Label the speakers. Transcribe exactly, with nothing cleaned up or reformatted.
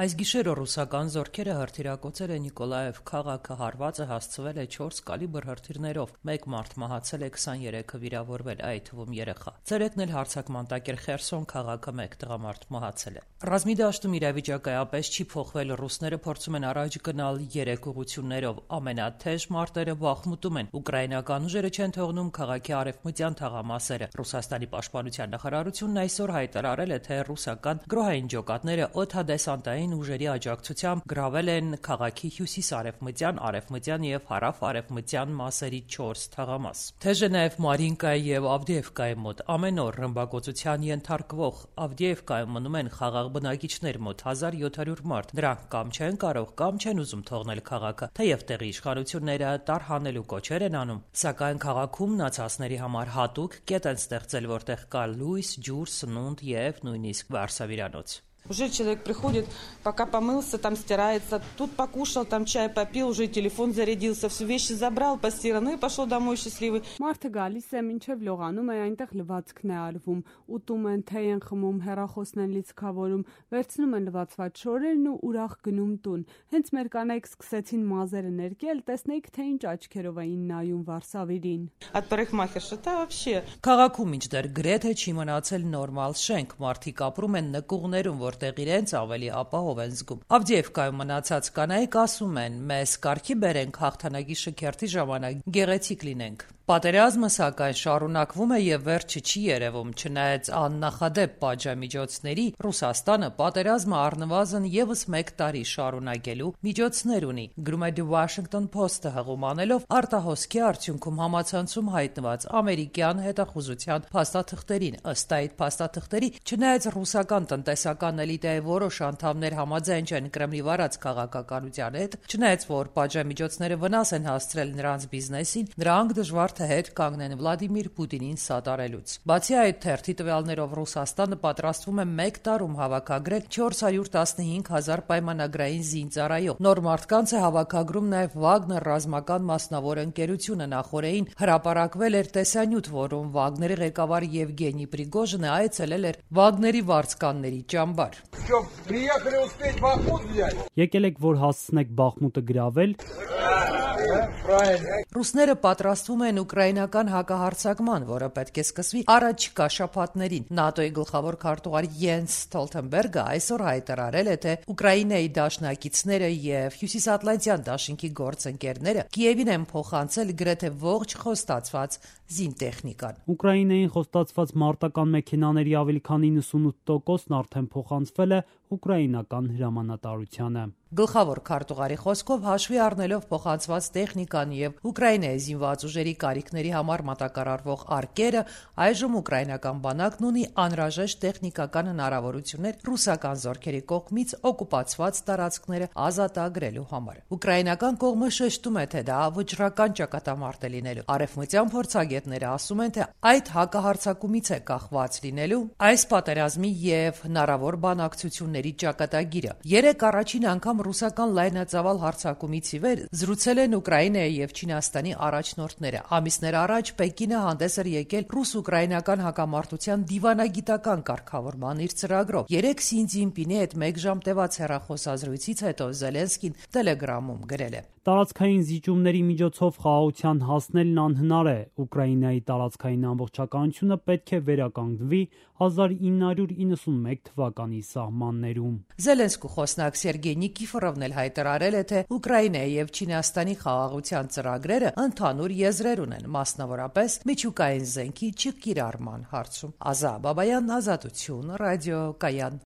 Speaker 1: Այս գիշերը ռուսական զորքերը հրթիռակոծել են Նիկոլաև քաղաքը, հարվածը հասցվել է չորս կալիբր հրթիռներով, մեկ մարդ մահացել է, քսաներեքը վիրավորվել, այդ թվում երեխա։ Ցերեկն էլ հարձակման տակ էր Խերսոն քաղաքը, մեկ տղամարդ մահացել է։ Ռազմի դաշտում իրավիճակը այդպես չի փոխվել, ռուսները փորձում են առաջ գնալ երեք ուղղություններով, ամենաթեժ մարտերը Բախմուտում են, ուկրաինական ուժերը չեն թողնում քաղաքի արևմտյան թաղամասերը։ Ռուսաստանի պաշտպանության նախարարությունն այսօր հայտարարել է, թե ռուսական գրոհային ջոկատները օդադեսանտային ուժերի աջակցությամբ գրավել են քաղաքի հյուսիս-արևմտյան, արևմտյան եւ հարավ-արևմտյան մասերի չորս թաղամաս։ Թեժ է նաեւ Մարինկայի եւ Ավդիևկայի մոտ ամեն օր ռմբակոծության ենթարկվող Ավդիևկայում մնում են խաղաղ բնակիչներ, մոտ հազար յոթ հարյուր մարդ։ Նրանք կամ չեն կարող, կամ չեն ուզում թողնել քաղաքը, թեև տեղի իշխանությունները տարհանելու կոչեր են անում, սակայն քաղաքում մնացածների համար հատուկ կետ են ստեղծել, որտեղ կա լույս, ջուր, սնունդ եւ նույնիսկ վարսավիրանոց։
Speaker 2: Уже человек приходит, пока помылся, там стирается, тут покушал, там чай попил, уже телефон зарядился, все вещи забрал, постирал, ну и пошел домой счастливый.
Speaker 3: Մարդը գալիս է, մինչև լողանում է, այնտեղ լվացքն է արվում, ուտում են, թեյ են խմում, հեռախոսն են լիցքավորում, վերցնում են լվացված շորերն ու ուրախ գնում տուն։ Հենց մեր կանայք սկսեցին մազերը ներկել, տեսնեիք, թե ինչ աչքերով էին նայում Վարսավիրին։
Speaker 2: От парикмахерши, да вообще.
Speaker 1: Քաղաքում ինչդեռ գրեթե չի մնացել նորմալ շենք, մարդիկ ապրում են նկուղներում, որտեղ իրենց ավելի ապահով են զգում։ Ավդիևկայում մնացած կանայք ասում են, մեզ կարգի բերենք հաղթանակի շքերթի ժամանակ գեղեցիկ լինենք։ Պատերազմը սակայն շարունակվում է եւ վերջը չի երևում, չնայած աննախադեպ պատժամիջոցների Ռուսաստանը պատերազմը առնվազն եւս մեկ տարի շարունակելու միջոցներ ունի, գրում է The Washington Post-ը հղում անելով արտահոսքի արդյունքում համացանցում հայտնված ամերիկյան հետախուզության փաստաթղթերին։ Ըստ այդ փաստաթղթերի, չնայած ռուսական տնտեսական էլիտայի որոշ անդամներ համաձայն չեն Կրեմլի վարած քաղաքականության հետ, չնայած որ պատժամիջոցները վնաս են հասցրել նրանց բիզնեսին, նրանք դժվար հետ կանգնեն Վլադիմիր Պուտինին սատարելուց։ Բացի այդ, թերթի տվյալներով Ռուսաստանը պատրաստվում է մեկ տարում հավաքագրել չորս հարյուր տասնհինգ հազար պայմանագրային զինծառայող։ Նոր մարդկանց է հավաքագրում նաև Վագներ ռազմական մասնավոր ընկերությունը, նախորդին հրապարակվել էր տեսանյութ, որում Վագների ղեկավար Եվգենի Պրիգոժինը այցելել էր Վագների վարձկանների ճամբար։
Speaker 4: Եկել եք, որ հասցնեք Բախմուտը գրավել։
Speaker 1: Ռուսները պատրաստվում են ուկրաինական հակահարձակման, որը պետք է սկսվի առաջիկա շաբաթներին։ ՆԱՏՕ-ի գլխավոր քարտուղար Յենս Ստոլտենբերգը այսօր հայտարարել է, թե Ուկրաինայի դաշնակիցները եւ Հյուսիսատլանտյան դաշինքի գործընկերները Կիևին են փոխանցել գրեթե ողջ խոստացված զինտեխնիկան։
Speaker 4: Ուկրաինային խոստացված մարտական մեքենաների ավելի քան իննսունութ տոկոսն արդեն փոխանցվել է ուկրաինական հրամանատարությանը։
Speaker 1: Գլխավոր քարտուղարի խոսքով հաշվի առնելով փոխանցված տեխնիկան եւ Ուկրաինայի զինված ուժերի կարիքների համար մատակարարվող արկերը, այժմ ուկրաինական բանակն ունի անհրաժեշտ տեխնիկական հնարավորություններ ռուսական զորքերի կողմից օկուպացված տարածքները ազատագրելու համար։ Ուկրաինական կողմը շեշտում է, թե դա վճռական ճակատամարտ է լինելու։ Արևմտյան փորձագետները ասում են, թե այդ հակահարձակումից է կախված լինելու այս պատերազմի եւ հնարավոր բանակցությունների ճակատագիրը։ Երեք առաջին անգամ ռուսական լայնածավալ հարձակումից ի վեր զրուցել են Ուկրաինայի եւ Չինաստանի առաջնորդները։ Ամիսներ առաջ Պեկինը հանդես էր եկել ռուս-ուկրաինական հակամարտության դիվանագիտական կարգավորման իր ծրագրով։ Երեք Սի Ցզինպինի հետ մեկ ժամ տևած հեռախոսազրույցից հետո Զելենսկին Տելեգրամում գրել է.
Speaker 4: Տարածքային զիջումների միջոցով խաղաղության հասնելն անհնար է։ Ուկրաինայի տարածքային ամբողջականությունը պետք է վերականգնվի հազար ինը հարյուր իննսունմեկ թվականի սահմաններում։
Speaker 1: Զելենսկու խոսնակ Սերգեյ Նիկիֆորովն էլ հայտարարել է, թե Ուկրաինայի եւ Չինաստանի խաղաղության ծրագրերը ընդհանուր եզրեր ունեն, մասնավորապես միջուկային զենքի չկիրառման հարցում։ Ազա Բաբայան, Ազատություն, ռադիո Կայան։